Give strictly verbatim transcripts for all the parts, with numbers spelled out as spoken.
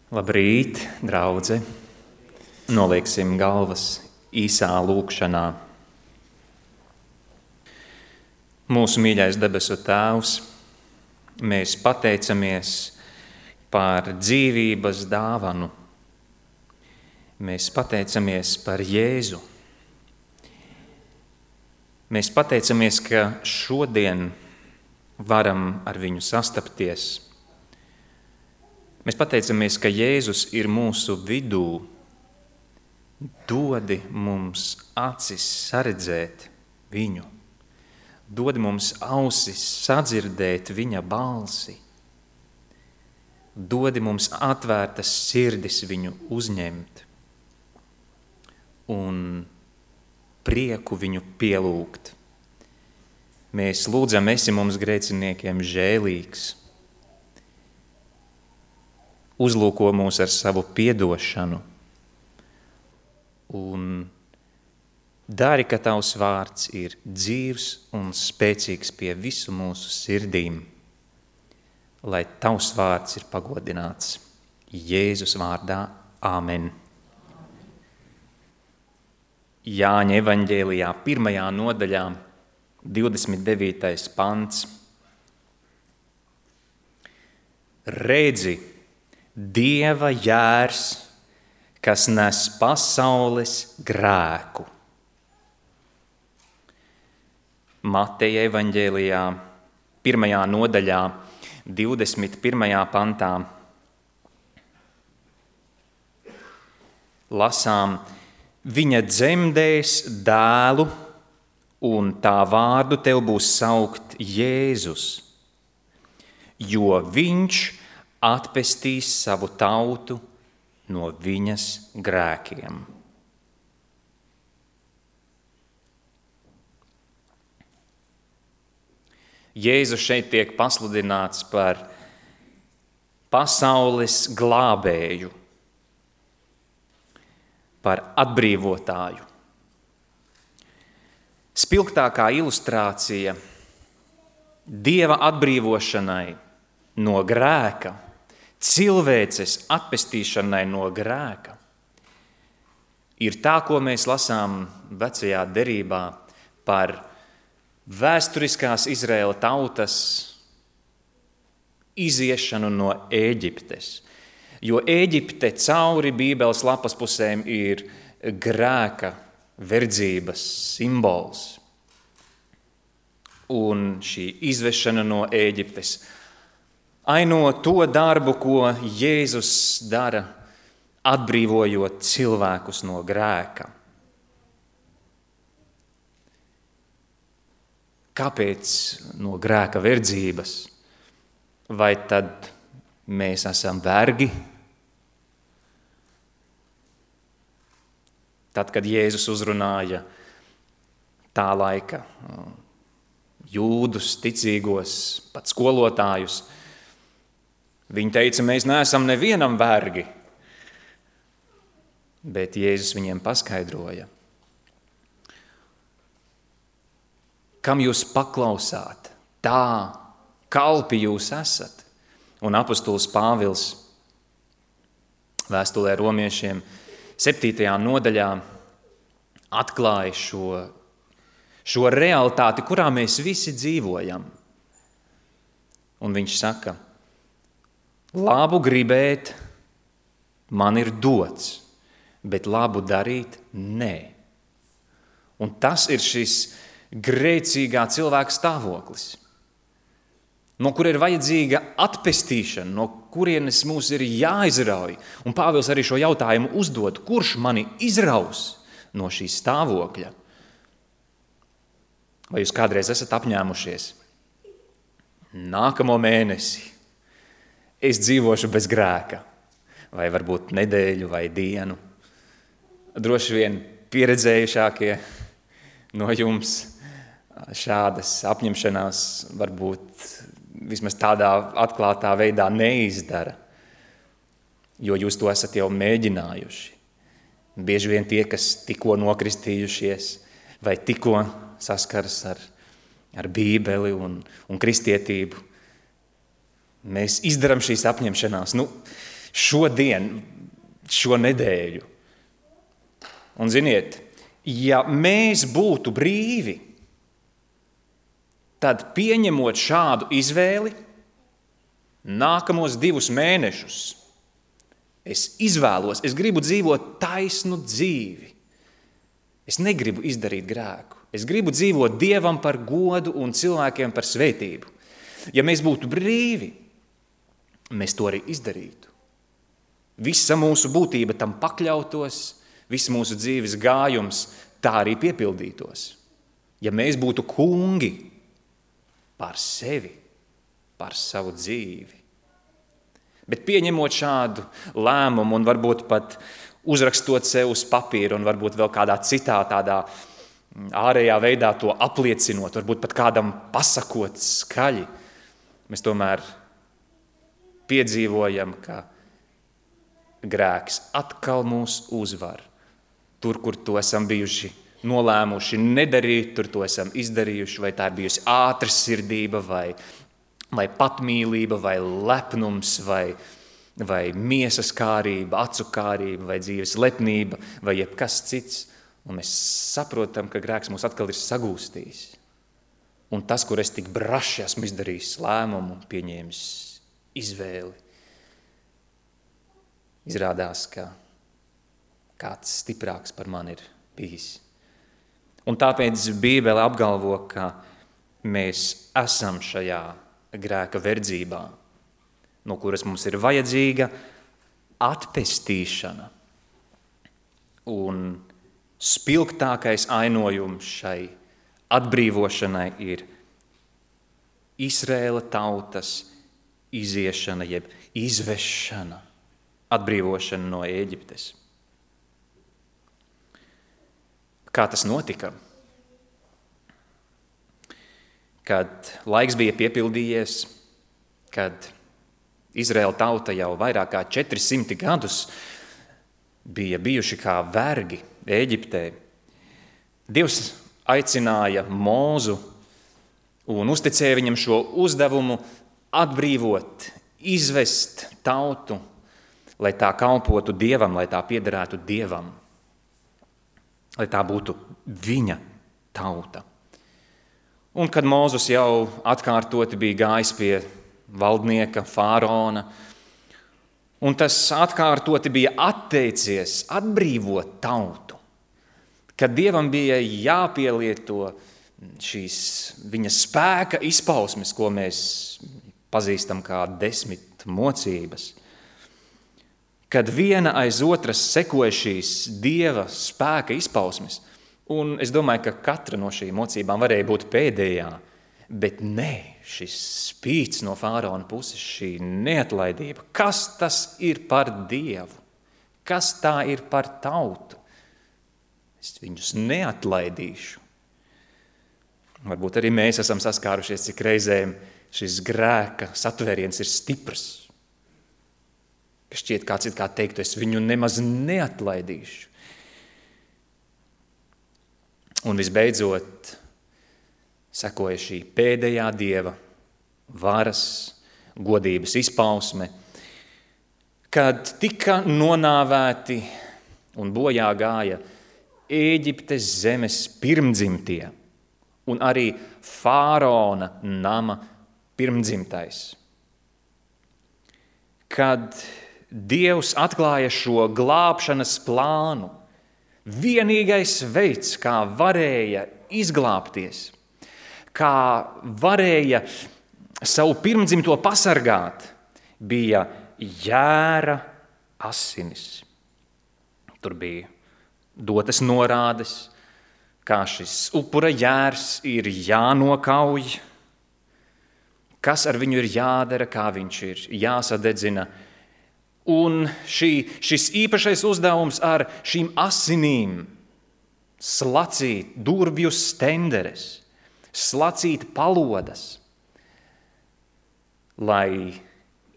Labrīt, draudze! Nolieksim galvas īsā lūkšanā. Mūsu mīļais debesu Tēvs, mēs pateicamies par dzīvības dāvanu. Mēs pateicamies par Jēzu. Mēs pateicamies, ka šodien varam ar viņu sastapties. Mēs pateicamies, ka Jēzus ir mūsu vidū. Dodi mums acis saredzēt viņu. Dodi mums ausis sadzirdēt viņa balsi. Dodi mums atvērtas sirdis viņu uzņemt un prieku viņu pielūgt. Mēs lūdzam, esi mums grēciniekiem žēlīgs. Uzlūko mūs ar savu piedošanu un dari, ka tavs vārds ir dzīvs un spēcīgs pie visu mūsu sirdīm, lai tavs vārds ir pagodināts. Jēzus vārdā. Āmen. Jāņa evaņģēlijā pirmajā nodaļā, divdesmit devītais pants. Redzi, Dieva jērs, kas nes pasaules grēku. Mateja evaņģēlijā, pirmajā nodaļā, divdesmit pirmajā pantā. Lasām, viņa dzemdēs dēlu, un tā vārdu tev būs saukt Jēzus, jo viņš atpestīs savu tautu no viņas grēkiem. Jēzus šeit tiek pasludināts par pasaules glābēju, par atbrīvotāju. Spilgtākā ilustrācija Dieva atbrīvošanai no grēka, cilvēces atpestīšanai no grēka, ir tā, ko mēs lasām vecajā derībā par vēsturiskās Izraēla tautas iziešanu no Ēģiptes. Jo Ēģipte cauri Bībeles lapas pusēm ir grēka verdzības simbols. Un šī izvešana no Ēģiptes aino to darbu, ko Jēzus dara, atbrīvojot cilvēkus no grēka. Kāpēc no grēka verdzības? Vai tad mēs esam vergi? Tad, kad Jēzus uzrunāja tā laika jūdus, ticīgos, pat skolotājus, viņi teica, mēs neesam nevienam vergi, bet Jēzus viņiem paskaidroja, kam jūs paklausāt, tā kalpi jūs esat. Un apostols Pāvils vēstulē romiešiem septītajā nodaļā atklāja šo, šo realitāti, kurā mēs visi dzīvojam. Un viņš saka, labu gribēt man ir dots, bet labu darīt nē. Un tas ir šis grēcīgā cilvēka stāvoklis, no kur ir vajadzīga atpestīšana, no kurienes mūs ir jāizrauj. Un Pāvils arī šo jautājumu uzdod, kurš mani izraus no šī stāvokļa? Vai jūs kādreiz esat apņēmušies? Nākamo mēnesi es dzīvošu bez grēka, vai varbūt nedēļu vai dienu. Droši vien pieredzējušākie no jums šādas apņemšanās varbūt vismaz tādā atklātā veidā neizdara, jo jūs to esat jau mēģinājuši. Bieži vien tie, kas tikko nokristījušies vai tikko saskaras ar, ar Bībeli un, un kristietību, mēs izdarām šīs apņemšanās. Nu, šodien, šo nedēļu. Un ziniet, ja mēs būtu brīvi, tad pieņemot šādu izvēli, nākamos divus mēnešus es izvēlos, es gribu dzīvot taisnu dzīvi. Es negribu izdarīt grēku. Es gribu dzīvot Dievam par godu un cilvēkiem par svētību. Ja mēs būtu brīvi, mēs to arī izdarītu. Visa mūsu būtība tam pakļautos, viss mūsu dzīves gājums tā arī piepildītos. Ja mēs būtu kungi par sevi, par savu dzīvi. Bet pieņemot šādu lēmumu un varbūt pat uzrakstot sev uz papīra un varbūt vēl kādā citā tādā ārējā veidā to apliecinot, varbūt pat kādam pasakot skaļi, mēs tomēr piedzīvojam, ka grēks atkal mūs uzvar. Tur, kur to esam bijuši nolēmuši nedarīt, tur to esam izdarījuši, vai tā ir bijusi ātrsirdība, vai, vai patmīlība, vai lepnums, vai, vai miesas kārība, acu kārība, vai dzīves lepnība, vai jebkas cits. Un mēs saprotam, ka grēks mūs atkal ir sagūstījis. Un tas, kur es tik braši esmu izdarījis lēmumu, pieņēmis izvēli, izrādās, ka kāds stiprāks par mani ir bijis. Un tāpēc Bībele apgalvo, ka mēs esam šajā grēka verdzībā, no kuras mums ir vajadzīga atpestīšana. Un spilgtākais ainojums šai atbrīvošanai ir Izraēla tautas iziešana, jeb izvešana, atbrīvošana no Ēģiptes. Kā tas notika? Kad laiks bija piepildījies, kad Izraēla tauta jau vairāk kā četri simti gadus bija bijuši kā vergi Ēģiptē, Dievs aicināja Mūzu un uzticēja viņam šo uzdevumu atbrīvot, izvest tautu, lai tā kalpotu Dievam, lai tā piederētu Dievam, lai tā būtu viņa tauta. Un kad Mūzes jau atkārtoti bija gājis pie valdnieka, fāraona, un tas atkārtoti bija atteicies atbrīvot tautu, kad Dievam bija jāpielieto šīs viņa spēka izpausmes, ko mēs pazīstam kā desmit mocības, kad viena aiz otras sekoja šīs Dieva spēka izpausmes, un es domāju, ka katra no šīm mocībām varēja būt pēdējā, bet nē, šis spīts no fāraona puses, šī neatlaidība, kas tas ir par Dievu, kas tā ir par tautu? Es viņus neatlaidīšu. Varbūt arī mēs esam saskārušies, cik reizēm šis grēka satvēriens ir stiprs. Ka šķiet kāds it kā teiktu, es viņu nemaz neatlaidīšu. Un visbeidzot, sekoja šī pēdējā Dieva varas, godības izpausme, kad tika nonāvēti un bojā gāja Ēģiptes zemes pirmdzimtie un arī fāraona nama pirmdzimtais. Kad Dievs atklāja šo glābšanas plānu, vienīgais veids, kā varēja izglābties, kā varēja savu pirmdzimto pasargāt, bija jēra asinis. Tur bija dotas norādes, kā šis upura jērs ir jānokauj, kas ar viņu ir jādara, kā viņš ir jāsadedzina. Un šī, šis īpašais uzdevums ar šīm asinīm slacīt durvju stenderes, slacīt palodas, lai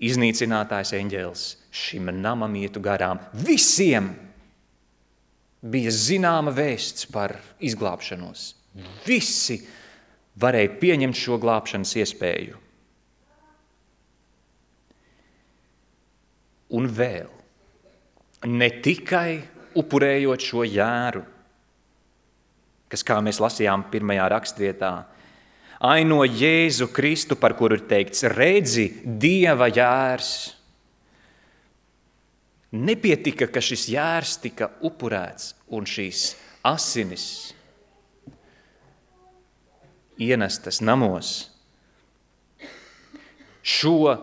iznīcinātājs eņģēlis šim namam ietu garām. Visiem bija zināma vēsts par izglābšanos. Visi varēja pieņemt šo glābšanas iespēju. un vēl. Ne tikai upurējot šo jēru, kas, kā mēs lasījām pirmajā rakstvietā, aino Jēzu Kristu, par kuru ir teikts, redzi, Dieva jērs. Nepietika, ka šis jērs tika upurēts un šīs asinis ienestas namos. Šo,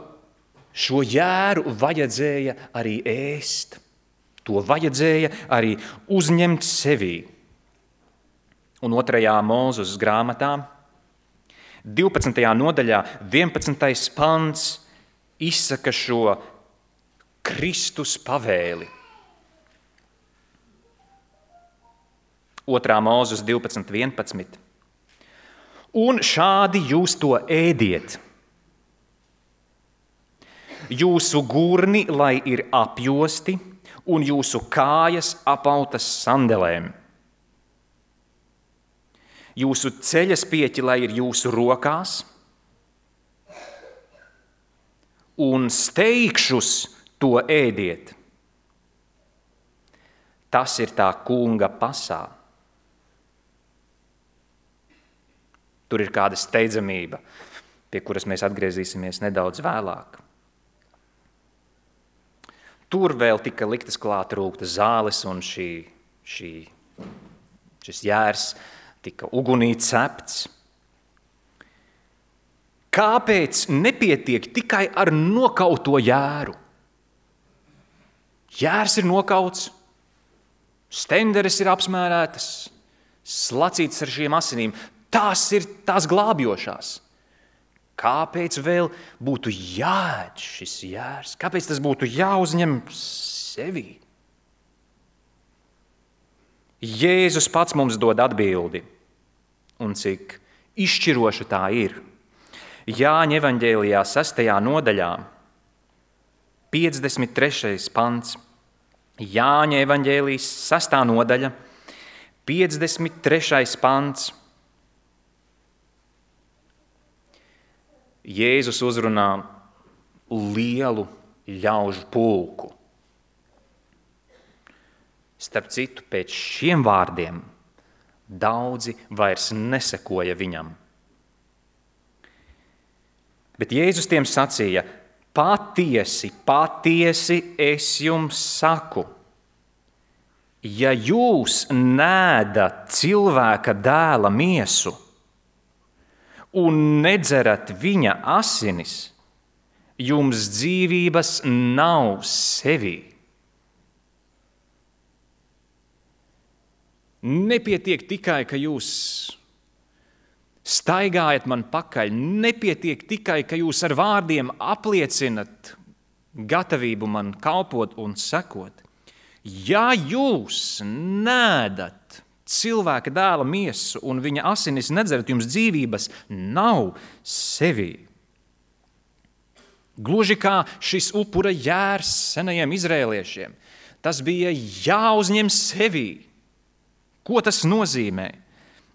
šo jēru vajadzēja arī ēst. To vajadzēja arī uzņemt sevī. Un otrajā Mūzes grāmatā, divpadsmitajā nodaļā, vienpadsmitais pants izsaka šo Kristus pavēli. Otrā Mūzes divpadsmit vienpadsmit. Un šādi jūs to ēdiet. Jūsu gurni, lai ir apjosti, un jūsu kājas apautas sandelēm. Jūsu ceļaspieķi, lai ir jūsu rokās, un steigšus to ēdiet. Tas ir tā kunga pasā. Tur ir kāda steidzamība, pie kuras mēs atgriezīsimies nedaudz vēlāk. Tur vēl tika liktas klāt rūkta zāles, un šī, šī, šis jērs tika ugunī cepts. Kāpēc nepietiek tikai ar nokauto jēru? Jērs ir nokauts, stenderes ir apsmērētas, slacītas ar šīm asinīm. Tās ir tās glābjošās. Kāpēc vēl būtu jāēd šis jērs? Kāpēc tas būtu jāuzņem sevī? Jēzus pats mums dod atbildi, un cik izšķiroša tā ir. Jāņa evaņģēlijā sestajā nodaļā, piecdesmit trešais pants. Jāņa evaņģēlijas sestā nodaļa, piecdesmit trešais pants. Jēzus uzrunā lielu ļaužu pulku. Starp citu, pēc šiem vārdiem daudzi vairs nesekoja viņam. Bet Jēzus tiem sacīja, patiesi, patiesi es jums saku, ja jūs neēdat cilvēka dēla miesu un nedzerat viņa asinis, jums dzīvības nav sevī. Nepietiek tikai, ka jūs staigājat man pakaļ, nepietiek tikai, ka jūs ar vārdiem apliecinat gatavību man kalpot un sekot. Ja jūs neēdat cilvēka dēla miesu un viņa asinis nedzerat, jums dzīvības nav sevī. Gluži kā šis upura jērs senajiem izrēliešiem. Tas bija jāuzņem sevī. Ko tas nozīmē?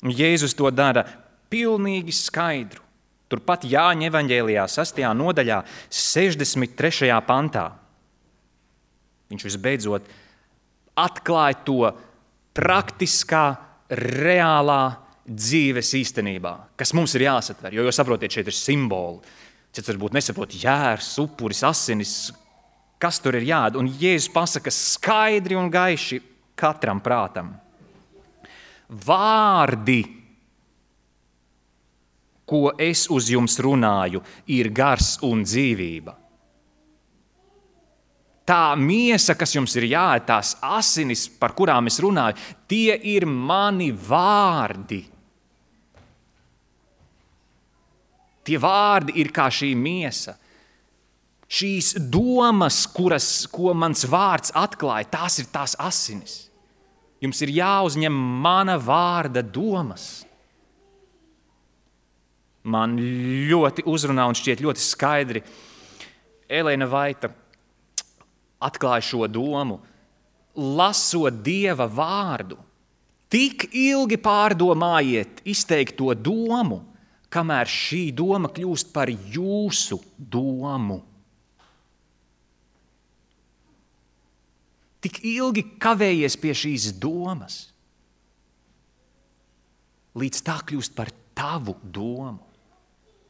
Jēzus to dara pilnīgi skaidru. Turpat Jāņa evaņģēlijā sastajā nodaļā, sešdesmit trešajā pantā. Viņš visbeidzot atklāja to praktiskā, reālā dzīves īstenībā, kas mums ir jāsatver, jo, jo saprotiet, šeit ir simboli. Cits varbūt nesaprot jērs, upuris, asinis, kas tur ir jāēd. Un Jēzus pasaka skaidri un gaiši katram prātam. Vārdi, ko es uz jums runāju, ir gars un dzīvība. Tā miesa, kas jums ir jāēd, tās asinis, par kurām es runāju, tie ir mani vārdi. Tie vārdi ir kā šī miesa. Šīs domas, kuras, ko mans vārds atklāja, tās ir tās asinis. Jums ir jāuzņem mana vārda domas. Man ļoti uzrunā un šķiet ļoti skaidri. Elēna Vaita atklāja šo domu, lasot Dieva vārdu. Tik ilgi pārdomājiet izteikto domu, kamēr šī doma kļūst par jūsu domu. tik ilgi kavējies pie šīs domas, līdz tā kļūst par tavu domu.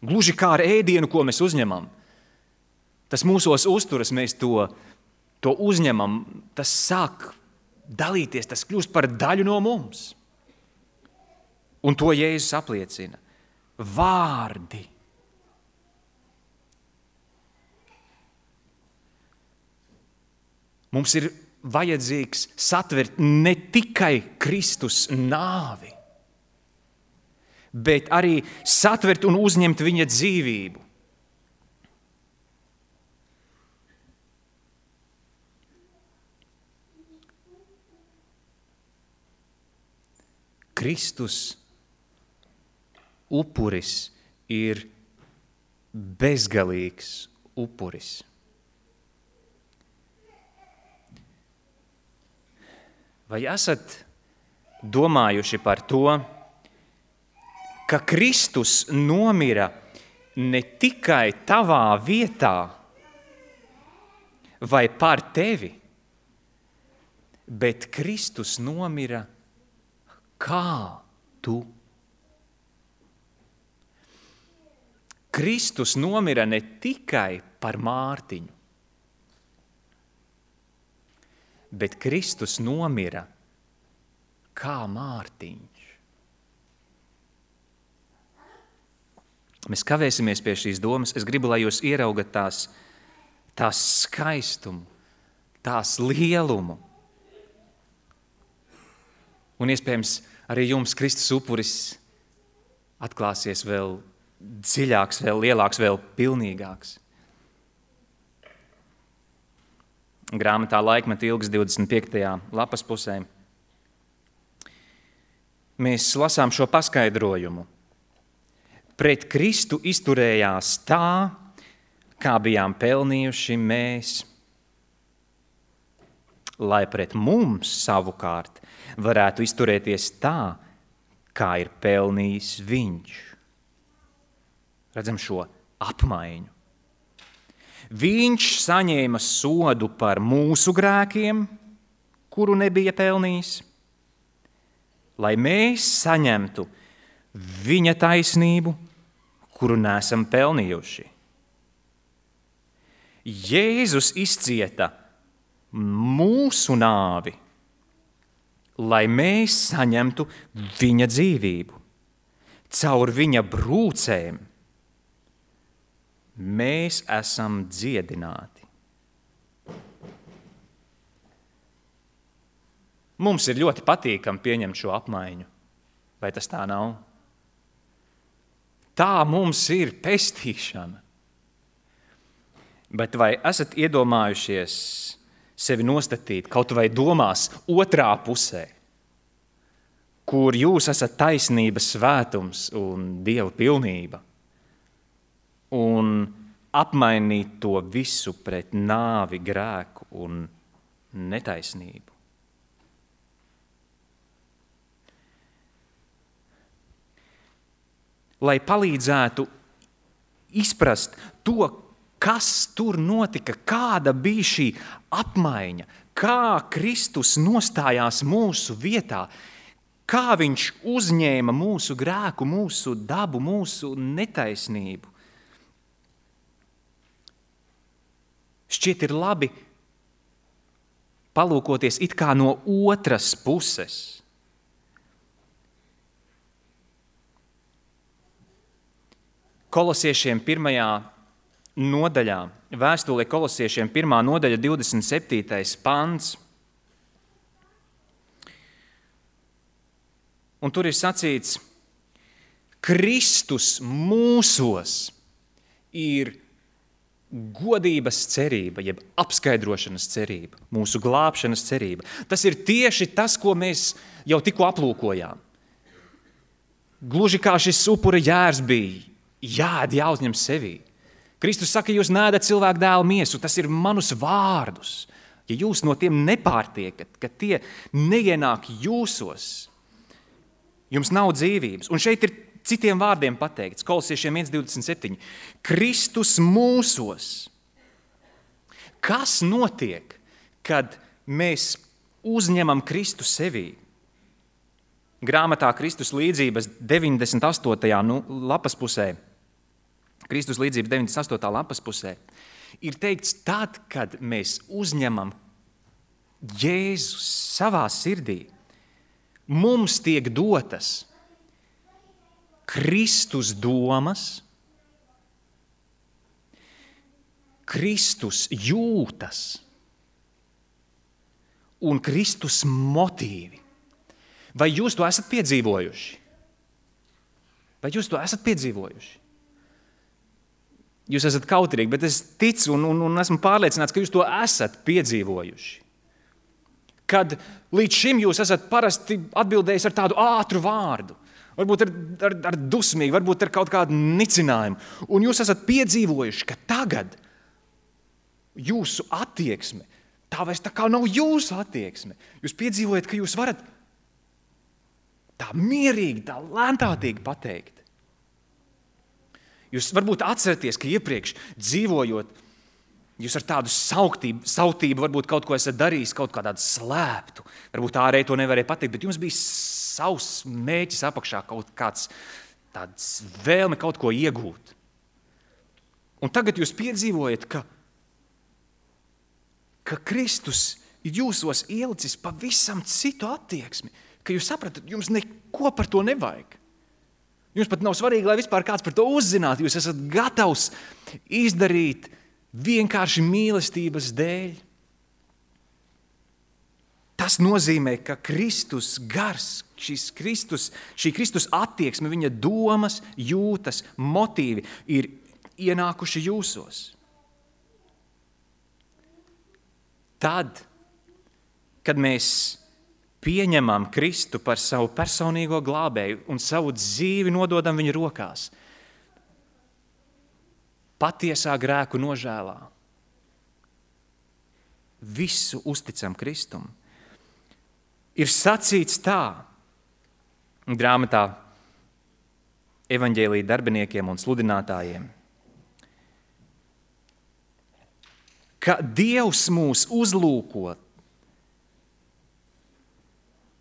Gluži kā ar ēdienu, ko mēs uzņemam. Tas mūsos uzturas, mēs to, to uzņemam, tas sāk dalīties, tas kļūst par daļu no mums. Un to Jēzus apliecina. Vārdi. Mums ir vajadzīgs satvert ne tikai Kristus nāvi, bet arī satvert un uzņemt viņa dzīvību. Kristus upuris ir bezgalīgs upuris. Vai esat domājuši par to, ka Kristus nomira ne tikai tavā vietā vai par tevi, bet Kristus nomira kā tu? Kristus nomira ne tikai par Mārtiņu, bet Kristus nomira kā Mārtiņš. Mēs kavēsimies pie šīs domas. Es gribu, lai jūs ieraugat tās, tās skaistumu, tās lielumu. Un iespējams arī jums Kristus upuris atklāsies vēl dziļāks, vēl lielāks, vēl pilnīgāks. Grāmatā Laikmeta ilgas divdesmit piektajā lapas pusē mēs lasām šo paskaidrojumu. Pret Kristu izturējās tā, kā bijām pelnījuši mēs, lai pret mums savukārt varētu izturēties tā, kā ir pelnījis viņš. Redzam šo apmaiņu. Viņš saņēma sodu par mūsu grēkiem, kuru nebija pelnījis, lai mēs saņemtu viņa taisnību, kuru neesam pelnījuši. Jēzus izcieta mūsu nāvi, lai mēs saņemtu viņa dzīvību. Caur viņa brūcēm mēs esam dziedināti. Mums ir ļoti patīkami pieņemt šo apmaiņu. Vai tas tā nav? Tā mums ir pestīšana. Bet vai esat iedomājušies sevi nostatīt kaut vai domās otrā pusē, kur jūs esat taisnības svētums un Dieva pilnība, un apmainīt to visu pret nāvi, grēku un netaisnību? Lai palīdzētu izprast to, kas tur notika, kāda bija šī apmaiņa, kā Kristus nostājās mūsu vietā, kā viņš uzņēma mūsu grēku, mūsu dabu, mūsu netaisnību. Šķiet ir labi palūkoties it kā no otras puses. Kolosiešiem pirmajā nodaļā, vēstulē Kolosiešiem pirmā nodaļa divdesmit septītais pants. Un tur ir sacīts, Kristus mūsos ir godības cerība, jeb apskaidrošanas cerība, mūsu glābšanas cerība. Tas ir tieši tas, ko mēs jau tikko aplūkojām. Gluži kā šis upura jērs bija, jāēd, jāuzņem sevī. Kristus saka, jūs neēdat cilvēku dēla miesu, tas ir manus vārdus. Ja jūs no tiem nepārtiekat, ka tie neienāk jūsos, jums nav dzīvības. Un šeit ir citiem vārdiem pateikts, Kolosiešiem viens divdesmit septiņi. Kristus mūsos. Kas notiek, kad mēs uzņemam Kristu sevī. Grāmatā Kristus līdzības deviņdesmit astotajā nu, lapas pusē, Kristus līdzības deviņdesmit astotā lapas pusē, ir teikts tad, kad mēs uzņemam Jēzu savā sirdī, mums tiek dotas Kristus domas, Kristus jūtas un Kristus motīvi. Vai jūs to esat piedzīvojuši? Vai jūs to esat piedzīvojuši? Jūs esat kautrīgi, bet es ticu un, un, un esmu pārliecināts, ka jūs to esat piedzīvojuši. Kad līdz šim jūs esat parasti atbildējis ar tādu ātru vārdu, varbūt ar, ar, ar dusmīgu, varbūt ar kaut kādu nicinājumu, un jūs esat piedzīvojuši, ka tagad jūsu attieksme, tā vairs tā kā nav jūsu attieksme. Jūs piedzīvojat, ka jūs varat tā mierīgi, tā lēntātīgi pateikt. Jūs varbūt atceraties, ka iepriekš dzīvojot, jūs ar tādu sauktību, sautību varbūt kaut ko esat darījis, kaut kā tādu slēptu. Varbūt ārēji to nevarēja pateikt, bet jums bija savs mēķis apakšā, kaut kāds tāds vēlme kaut ko iegūt. Un tagad jūs piedzīvojat, ka, ka Kristus ir jūsos ielicis pavisam citu attieksmi, ka jūs sapratat, jums neko par to nevajag. Jums pat nav svarīgi, lai vispār kāds par to uzzinātu. Jūs esat gatavs izdarīt vienkārši mīlestības dēļ. Tas nozīmē, ka Kristus gars, šis Kristus, šī Kristus attieksme, viņa domas, jūtas, motīvi ir ienākuši jūsos. Tad, kad mēs pieņemam Kristu par savu personīgo glābēju un savu dzīvi nododam viņa rokās, patiesā grēku nožēlā, visu uzticam Kristum. Ir sacīts tā, grāmatā evaņģēlija darbiniekiem un sludinātājiem, ka Dievs mūs uzlūko,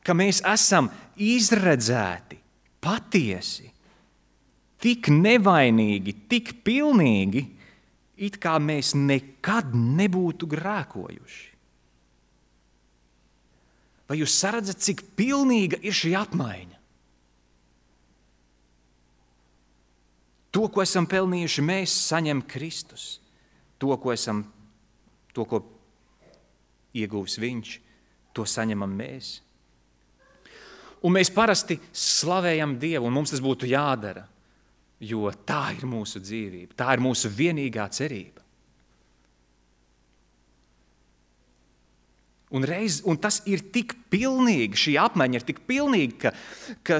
ka mēs esam izredzēti, patiesi, tik nevainīgi, tik pilnīgi, it kā mēs nekad nebūtu grēkojuši. Vai jūs saredzat, cik pilnīga ir šī apmaiņa? To, ko esam pelnījuši, mēs saņem Kristus. To, ko esam, to, ko ieguvis viņš, to saņemam mēs. Un mēs parasti slavējam Dievu, un mums tas būtu jādara, jo tā ir mūsu dzīvība, tā ir mūsu vienīgā cerība. Un, reiz, un tas ir tik pilnīgi, šī apmaiņa ir tik pilnīga, ka, ka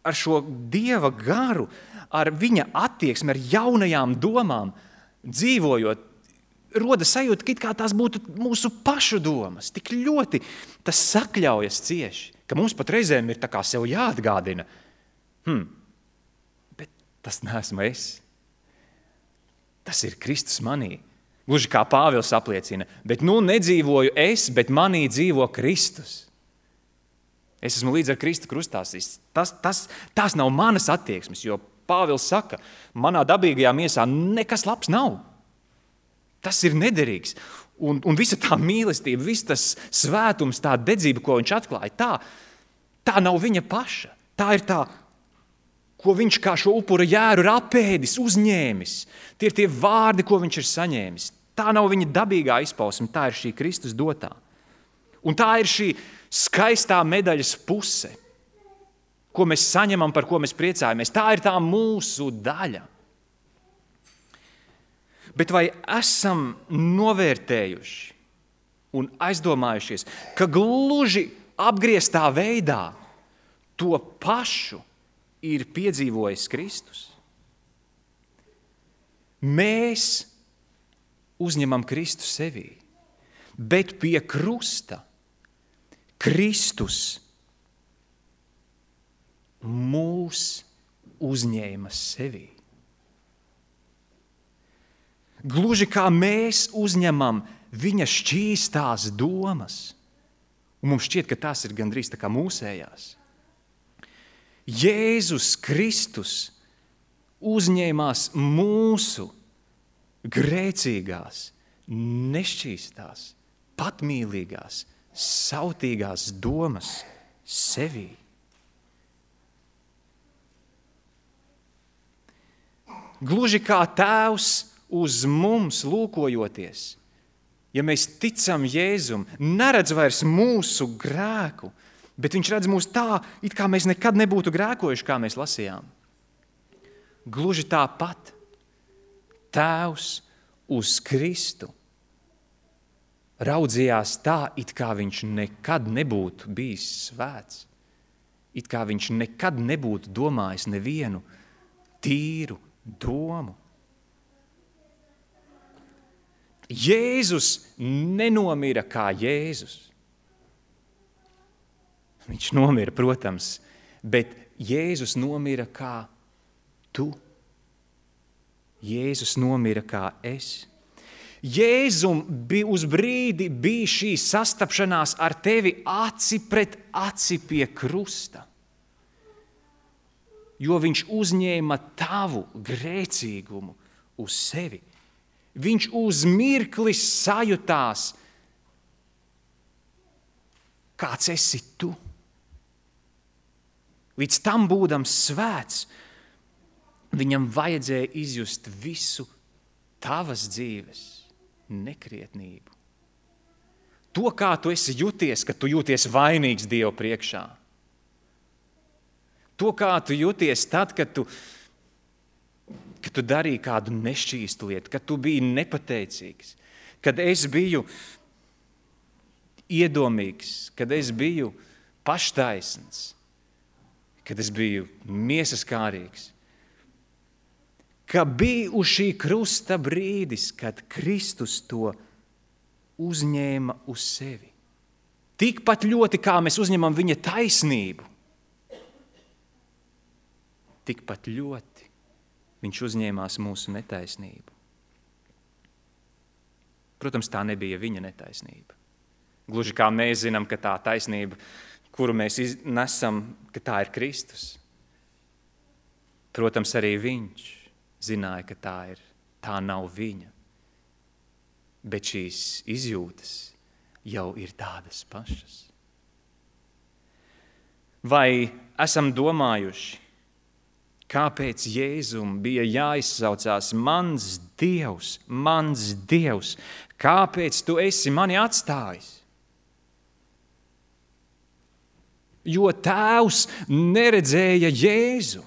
ar šo Dieva garu, ar viņa attieksmi, ar jaunajām domām dzīvojot, roda sajūta, ka it kā tās būtu mūsu pašu domas. Tik ļoti tas sakļaujas cieši, ka mums pat reizēm ir tā kā sev jāatgādina. Hmm, bet tas neesmu es. Tas ir Kristus manī. Gluži kā Pāvils apliecina, bet nu nedzīvoju es, bet manī dzīvo Kristus. Es esmu līdz ar Kristu krustās. Tas, tas, tas nav manas attieksmes, jo Pāvils saka, manā dabīgajā miesā nekas labs nav. Tas ir nederīgs. Un, un visa tā mīlestība, viss tas svētums, tā dedzība, ko viņš atklāja, tā, tā nav viņa paša. Tā ir tā, ko viņš kā šo upura jēru ir apēdis, uzņēmis. Tie ir tie vārdi, ko viņš ir saņēmis. Tā nav viņa dabīgā izpausme, tā ir šī Kristus dotā. Un tā ir šī skaistā medaļas puse, ko mēs saņemam, par ko mēs priecājamies. Tā ir tā mūsu daļa. Bet vai esam novērtējuši un aizdomājušies, ka gluži apgrieztā veidā to pašu ir piedzīvojis Kristus? Mēs uzņemam Kristu sevī, bet pie krusta Kristus mūs uzņēma sevī. Gluži kā mēs uzņemam viņa šķīstās domas. Un mums šķiet, ka tas ir gandrīz tā kā mūsējās. Jēzus Kristus uzņēmās mūsu grēcīgās, nešķīstās, patmīlīgās, sautīgās domas sevī. Gluži kā Tēvs uz mums lūkojoties, ja mēs ticam Jēzum, neredz vairs mūsu grēku, bet viņš redz mūs tā, it kā mēs nekad nebūtu grēkojuši, kā mēs lasījām. Gluži tāpat Tēvs uz Kristu raudzījās tā, it kā viņš nekad nebūtu bijis svēts, it kā viņš nekad nebūtu domājis nevienu tīru domu. Jēzus nenomira kā Jēzus. Viņš nomira, protams, bet Jēzus nomira kā tu. Jēzus nomira kā es. Jēzum bija uz brīdi bija šī sastapšanās ar tevi aci pret aci pie krusta, jo viņš uzņēma tavu grēcīgumu uz sevi. Viņš uz mirkli sajutās, kāds esi tu. Līdz tam būdams svēts, viņam vajadzēja izjust visu tavas dzīves nekrietnību. To, kā tu esi jūties, kad tu jūties vainīgs Dievu priekšā. To, kā tu jūties tad, kad tu, kad tu darīji kādu nešķīstu lietu, kad tu biji nepateicīgs, kad es biju iedomīgs, kad es biju paštaisns, kad es biju miesaskārīgs. Ka bija uz šī krusta brīdis, kad Kristus to uzņēma uz sevi. Tikpat ļoti, kā mēs uzņemam viņa taisnību, tikpat ļoti viņš uzņēmās mūsu netaisnību. Protams, tā nebija viņa netaisnība. Gluži kā mēs zinām, ka tā taisnība, kuru mēs nesam, ka tā ir Kristus. Protams, arī viņš zināja, ka tā ir, tā nav viņa. Bet šīs izjūtas jau ir tādas pašas. Vai esam domājuši, kāpēc Jēzum bija jāizsaucās mans Dievs, mans Dievs, kāpēc tu esi mani atstājis? Jo Tēvs neredzēja Jēzu.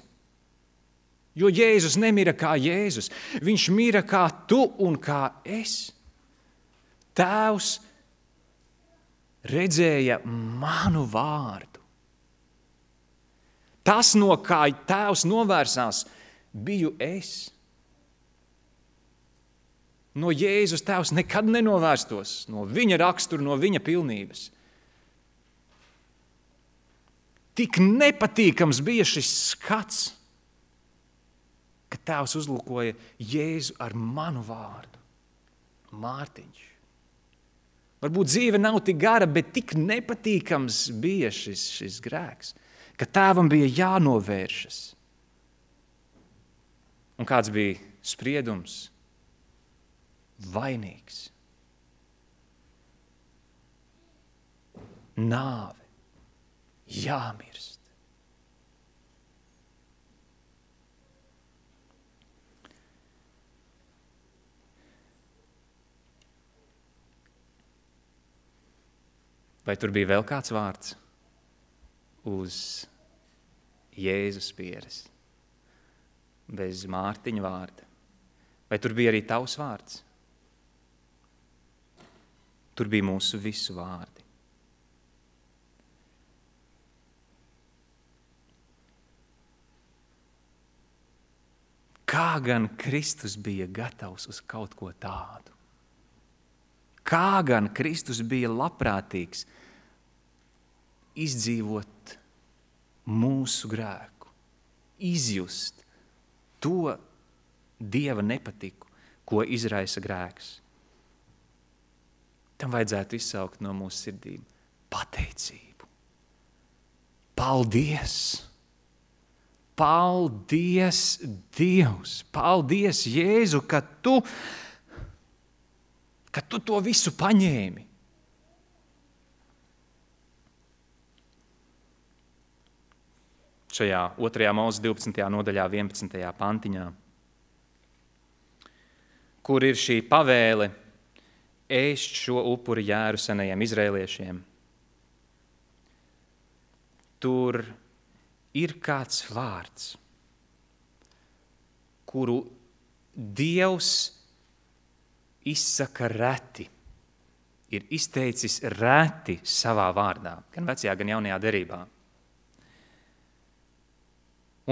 Jo Jēzus nemira kā Jēzus. Viņš mira kā tu un kā es. Tēvs redzēja manu vārdu. Tas, no kā Tēvs novērsās, biju es. No Jēzus Tēvs nekad nenovērstos, no viņa rakstura, no viņa pilnības. Tik nepatīkams bija šis skats, ka Tēvs uzlūkoja Jēzu ar manu vārdu. Mārtiņš. Varbūt dzīve nav tik gara, bet tik nepatīkams bija šis, šis grēks, ka Tēvam bija jānovēršas. Un kāds bija spriedums? Vainīgs. Nāve. Jāmirst. Vai tur bija vēl kāds vārds uz Jēzus pieres, bez Mārtiņa vārda? Vai tur bija arī tavs vārds? Tur bija mūsu visu vārdi. Kā gan Kristus bija gatavs uz kaut ko tādu? Kā gan Kristus bija labprātīgs izdzīvot mūsu grēku, izjust to Dieva nepatiku, ko izraisa grēks. tam vajadzētu izsaukt no mūsu sirdīm pateicību. Paldies! Paldies, Dievs! Paldies, Jēzu, ka tu, ka tu to visu paņēmi. Šajā otrajā Mūzes divpadsmitajā nodaļā, vienpadsmitajā pantiņā, kur ir šī pavēle ēst šo upuri jēru senajiem izraēliešiem. Tur ir kāds vārds, kuru Dievs izsaka reti, ir izteicis reti savā vārdā, gan vecajā, gan jaunajā derībā.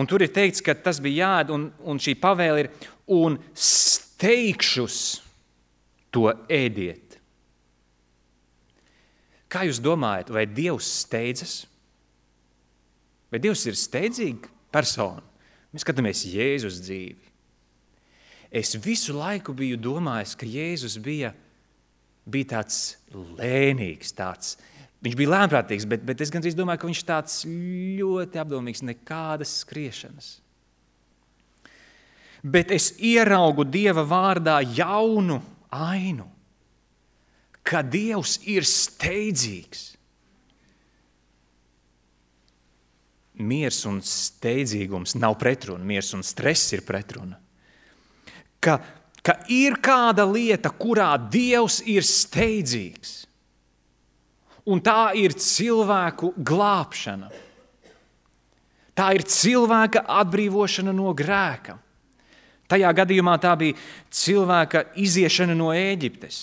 Un tur ir teikts, ka tas bija jāēd, un, un šī pavēle ir, un steigšus to ēdiet. Kā jūs domājat, vai Dievs steidzas? Vai Dievs ir steidzīga persona? Mēs skatāmies Jēzus dzīvi. Es visu laiku biju domājis, ka Jēzus bija, bija tāds lēnīgs, tāds. Viņš bija lēnprātīgs, bet, bet es gandrīz domāju, ka viņš tāds ļoti apdomīgs, nekādas skriešanas. Bet es ieraugu Dieva vārdā jaunu ainu, ka Dievs ir steidzīgs. Miers un steidzīgums nav pretruna, miers un stress ir pretruna. Ka, ka ir kāda lieta, kurā Dievs ir steidzīgs. Un tā ir cilvēku glābšana. Tā ir cilvēka atbrīvošana no grēka. Tajā gadījumā tā bija cilvēka iziešana no Ēģiptes.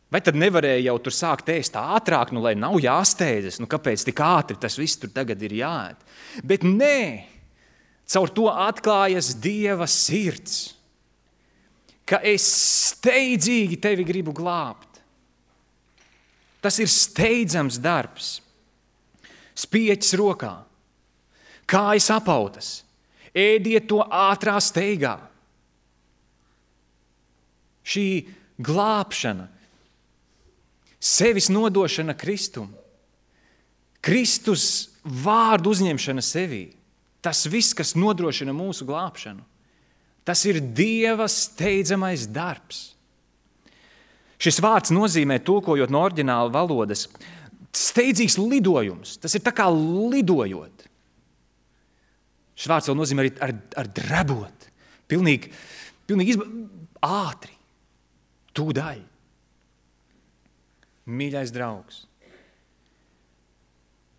Vai tad nevarēja jau tur sākt ēst ātrāk, nu, lai nav jāsteidzas? Nu, kāpēc tik ātri tas viss tur tagad ir jāēd? Bet nē, caur to atklājas Dieva sirds, ka es steidzīgi tevi gribu glābt. Tas ir steidzams darbs. Spieķis rokā, kājas apautas, ēdiet to ātrā steigā. Šī glābšana, sevis nodošana Kristum, Kristus vārdu uzņemšana sevī, tas viss, kas nodrošina mūsu glābšanu, tas ir Dieva steidzamais darbs. Šis vārds nozīmē, tulkojot no oriģināla valodas, steidzīgs lidojums. Tas ir tā kā lidojot. Šis vārds vēl nozīmē arī ar, ar drebot. Pilnīgi, pilnīgi izba... ātri. Tūdaļ. Mīļais draugs,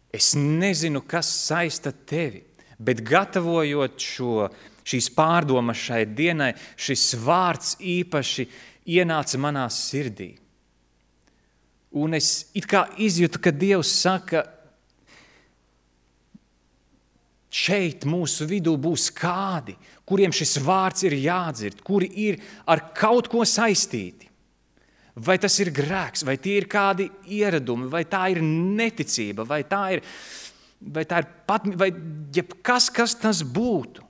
es nezinu, kas saista tevi, bet gatavojot šo, šīs pārdomas šai dienai, šis vārds īpaši ienāca manā sirdī. Un es it kā izjūtu, ka Dievs saka, šeit mūsu vidū būs kādi, kuriem šis vārds ir jādzird, kuri ir ar kaut ko saistīti. Vai tas ir grēks, vai tie ir kādi ieradumi, vai tā ir neticība, vai tā ir, vai tā ir pat, vai jebkas, kas tas būtu.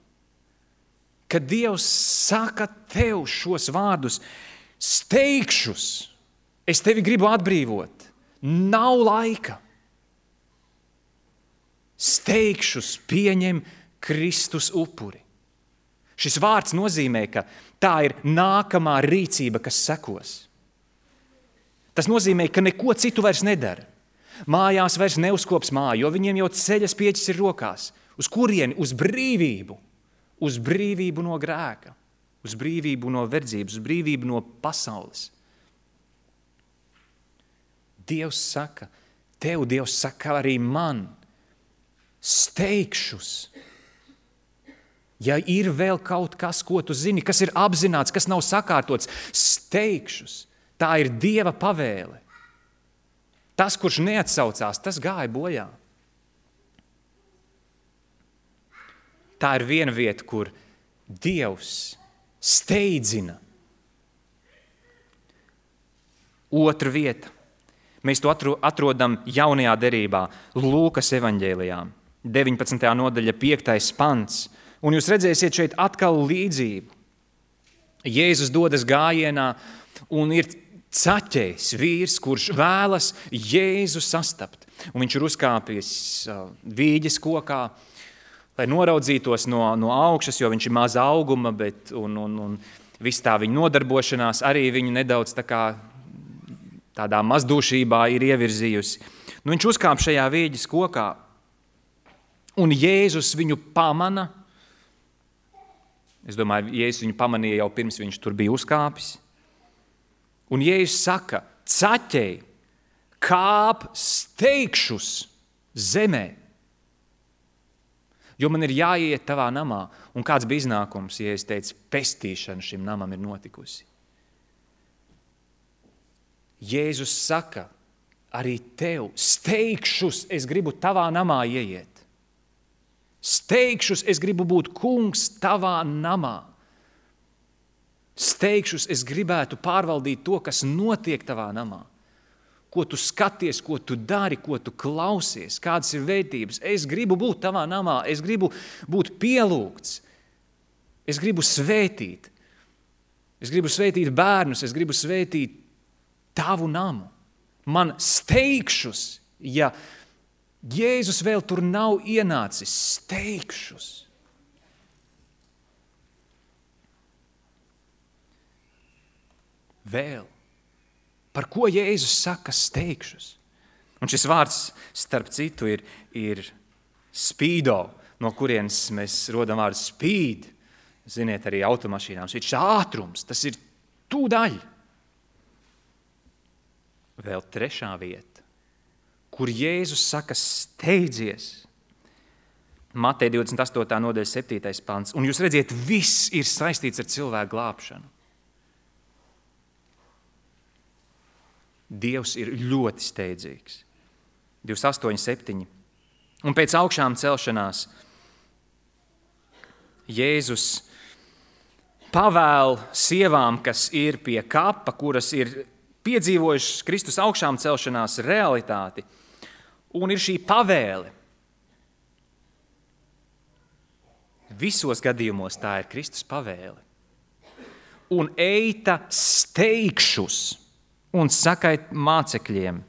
Kad Dievs saka tev šos vārdus, steigšus, es tevi gribu atbrīvot, nav laika. Steigšus pieņem Kristus upuri. Šis vārds nozīmē, ka tā ir nākamā rīcība, kas sekos. Tas nozīmē, ka neko citu vairs nedara. Mājās vairs neuzkops māju, jo viņiem jau ceļas pieķis ir rokās. Uz kurieni? Uz brīvību. Uz brīvību no grēka. Uz brīvību no verdzības, uz brīvību no pasaules. Dievs saka, tev Dievs saka arī man, steigšus. Ja ir vēl kaut kas, ko tu zini, kas ir apzināts, kas nav sakārtots, steigšus. Tā ir Dieva pavēle. Tas, kurš neatsaucās, tas gāja bojā. Tā ir viena vieta, kur Dievs steidzina. Otra vieta. Mēs to atrodam jaunajā derībā, Lūkas evaņģēlijā, deviņpadsmitajā nodaļa, piektais pants. Un jūs redzēsiet šeit atkal līdzību. Jēzus dodas gājienā, un ir caķējs vīrs, kurš vēlas Jēzu sastapt. Un viņš ir uzkāpis vīģes kokā, lai noraudzītos no, no augšas, jo viņš ir maza auguma, bet un, un, un viss tā viņa nodarbošanās arī viņu nedaudz tā kā tādā mazdūšībā ir ievirzījusi. Nu, viņš uzkāp šajā vīģes kokā, un Jēzus viņu pamana. Es domāju, Jēzus viņu pamanīja jau pirms viņš tur bija uzkāpis. Un Jēzus saka, caķei, kāp steigšus zemē, jo man ir jāiet tavā namā. Un kāds bija iznākums, ja es teicu, pestīšana šim namam ir notikusi. Jēzus saka, arī tev, steigšus es gribu tavā namā ieiet. Steigšus es gribu būt kungs tavā namā. Steigšus es gribētu pārvaldīt to, kas notiek tavā namā. Ko tu skaties, ko tu dari, ko tu klausies, kādas ir vērtības. Es gribu būt tavā namā, es gribu būt pielūgts, es gribu svētīt. Es gribu svētīt bērnus, es gribu svētīt tavu namu. Man steigšus, ja Jēzus vēl tur nav ienācis, steigšus. Vēl. Par ko Jēzus saka steigšus? Un šis vārds, starp citu, ir, ir spīdo, no kurienes mēs rodam vārdu spīd. Ziniet, arī automašīnām. Šis ātrums, tas ir tūdaļ. Vēl trešā vieta, kur Jēzus saka steidzies. Mateja divdesmit astotā nodaļa septītais pants. Un jūs redziet, viss ir saistīts ar cilvēku glābšanu. Dievs ir ļoti steidzīgs. divdesmit astoņi septiņi. Un pēc augšām celšanās Jēzus pavēl sievām, kas ir pie kapa, kuras ir piedzīvojušas Kristus augšām celšanās realitāti. Un ir šī pavēle. Visos gadījumos tā ir Kristus pavēle. Un eita steigšus un sakait mācekļiem,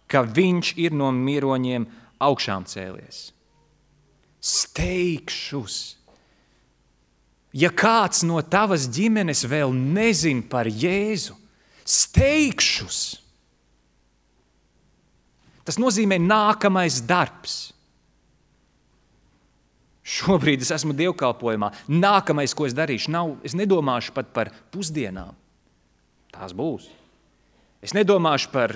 ka viņš ir no miroņiem augšām cēlies. Steigšus. Ja kāds no tavas ģimenes vēl nezin par Jēzu, steigšus. Tas nozīmē nākamais darbs. Šobrīd es esmu dievkalpojumā. Nākamais, ko es darīšu, nav, es nedomāšu pat par pusdienām. Tās būs. Es nedomāšu par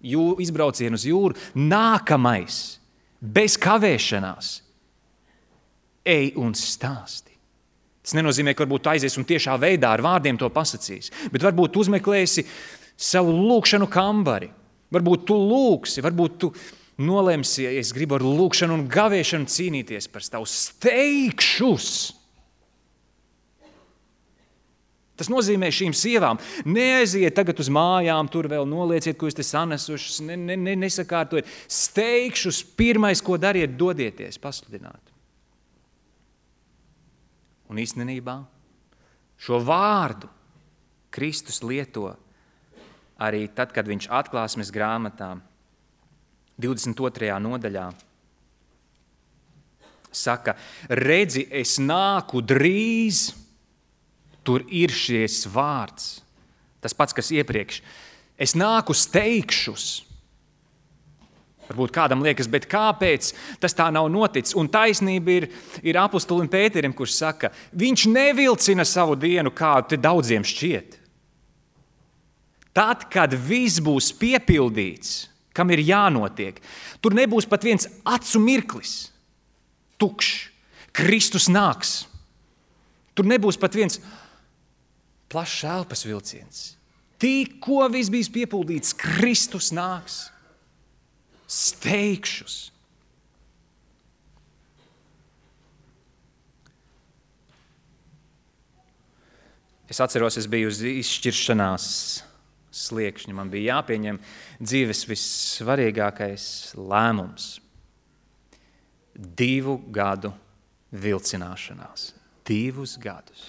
jū, izbraucienu uz jūru. Nākamais, bez kavēšanās, ej un stāsti. Tas nenozīmē, ka varbūt tu aizies un tiešā veidā ar vārdiem to pasacīs, bet varbūt uzmeklēsi savu lūkšanu kambari. Varbūt tu lūksi, varbūt tu nolemsi, ja es gribu ar lūkšanu un gavēšanu cīnīties par tavu steigšus. Tas nozīmē šīm sievām, neaiziet tagad uz mājām, tur vēl nolieciet, ko jūs te sanesušas, ne, ne, ne, nesakārtojiet. Steigšus pirmais, ko dariet, dodieties, pasludināt. Un īstenībā šo vārdu Kristus lieto arī tad, kad viņš atklāsmes grāmatā divdesmit otrajā nodaļā saka, redzi, es nāku drīz. Tur ir šis vārds, tas pats, kas iepriekš. Es nāku steigšus. Varbūt kādam liekas, bet kāpēc tas tā nav noticis? Un taisnība ir, ir apostolim Pēterim, kurš saka, viņš nevilcina savu dienu, kā te daudziem šķiet. Tad, kad viss būs piepildīts, kam ir jānotiek, tur nebūs pat viens acu mirklis. Tukšs. Kristus nāks. Tur nebūs pat viens plašs elpas vilciens. Tikko viss bijis piepildīts, Kristus nāks. Steigšus. Es atceros, es biju uz izšķiršanās sliekšņa. Man bija jāpieņem dzīves vissvarīgākais lēmums. Divu gadu vilcināšanās. Divus gadus.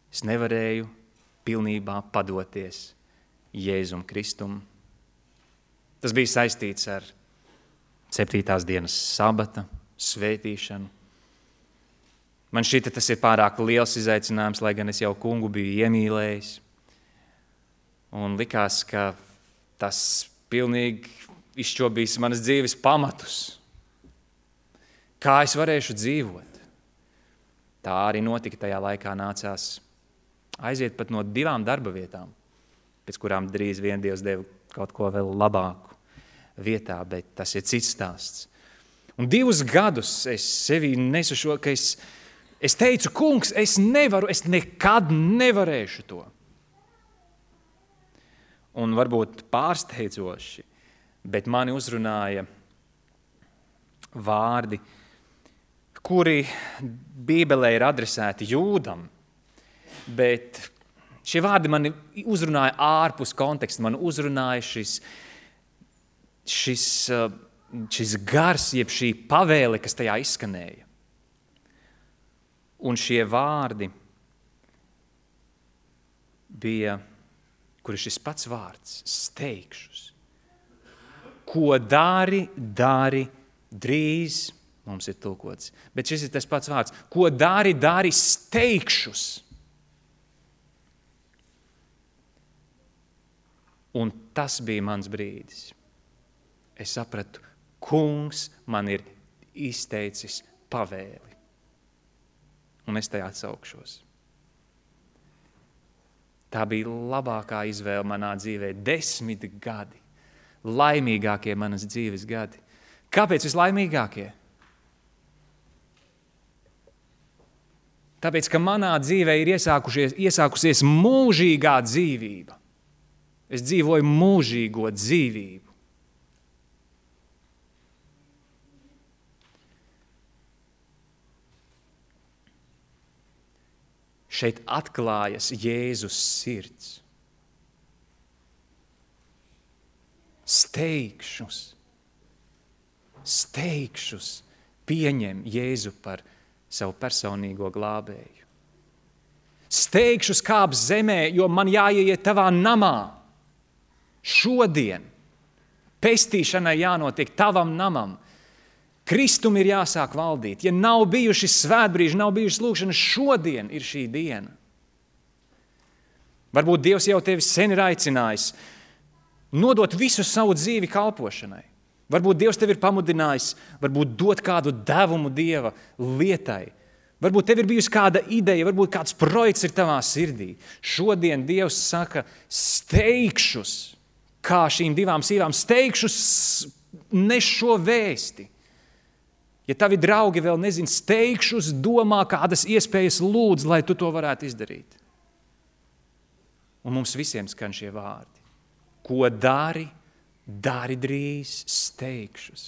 Es nevarēju pilnībā padoties Jēzum Kristum. Tas bija saistīts ar septītās dienas sabata svētīšanu. Man šķita, tas ir pārāk liels izaicinājums, lai gan es jau kungu biju iemīlējis. Un likās, ka tas pilnīgi izšķobīs manas dzīves pamatus. Kā es varēšu dzīvot? Tā arī notika tajā laikā, nācās aiziet pat no divām darba vietām, pēc kurām drīz vien Dievs deva kaut ko vēl labāku vietā, bet tas ir cits stāsts. Un divus gadus es sevī nesu šo, ka es, es teicu, kungs, es nevaru, es nekad nevarēšu to. Un varbūt pārsteidzoši, bet mani uzrunāja vārdi, kuri Bībelē ir adresēti Jūdam, bet šie vārdi mani uzrunāja ārpus konteksta, man uzrunāja šis, šis, šis gars, jeb šī pavēle, kas tajā izskanēja. Un šie vārdi bija, kur ir šis pats vārds, steigšus. Ko dari, dari drīz, mums ir tulkots, bet šis ir tas pats vārds. Ko dari, dari steigšus. Un tas bija mans brīdis. Es sapratu, kungs man ir izteicis pavēli. Un es tajā atsaukšos. Tā bija labākā izvēle manā dzīvē. Desmit gadi. Laimīgākie manas dzīves gadi. Kāpēc vislaimīgākie? Tāpēc, ka manā dzīvē ir iesākusies mūžīgā dzīvība. Es dzīvoju mūžīgo dzīvību. Šeit atklājas Jēzus sirds. Steigšus, steigšus pieņem Jēzu par savu personīgo glābēju. Steigšus kāp zemē, jo man jāieiet tavā namā. Šodien pestīšanai jānotiek tavam namam. Kristum ir jāsāk valdīt. Ja nav bijuši svētbrīži, nav bijušas lūkšanas, šodien ir šī diena. Varbūt Dievs jau tevi sen ir aicinājis nodot visu savu dzīvi kalpošanai. Varbūt Dievs tevi ir pamudinājis, varbūt dot kādu devumu Dieva lietai. Varbūt tev ir bijusi kāda ideja, varbūt kāds projekts ir tavā sirdī. Šodien Dievs saka, steigšus, kā šīm divām sīvām, steigšus nes šo vēsti. Ja tavi draugi vēl nezin, steigšus domā, kādas iespējas lūdz, lai tu to varētu izdarīt. Un mums visiem skan šie vārdi. Ko dari, dari drīz, steigšus.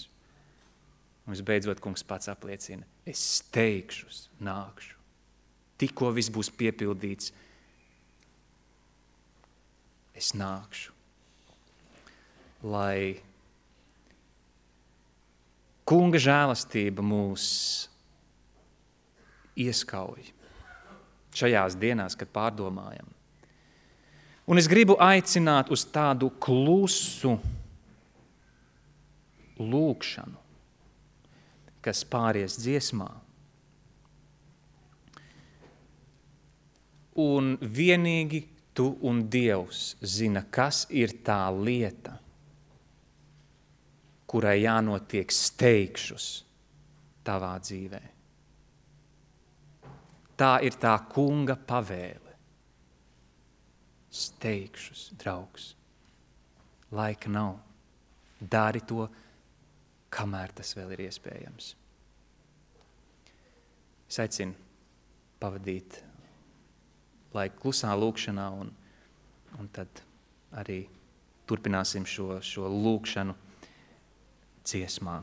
Un visbeidzot, kungs pats apliecina, es steigšus, nākšu. Tikko viss būs piepildīts, es nākšu. Lai kunga žēlastība mūs ieskauj šajās dienās, kad pārdomājam. Un es gribu aicināt uz tādu klusu lūkšanu, kas pāries dziesmā. Un vienīgi tu un Dievs zina, kas ir tā lieta, kurai jānotiek steigšus tavā dzīvē. Tā ir tā kunga pavēle. Steigšus, draugs. Laika nav. Dari to, kamēr tas vēl ir iespējams. Es aicinu pavadīt laiku klusā lūkšanā un, un tad arī turpināsim šo, šo lūkšanu dziesmā.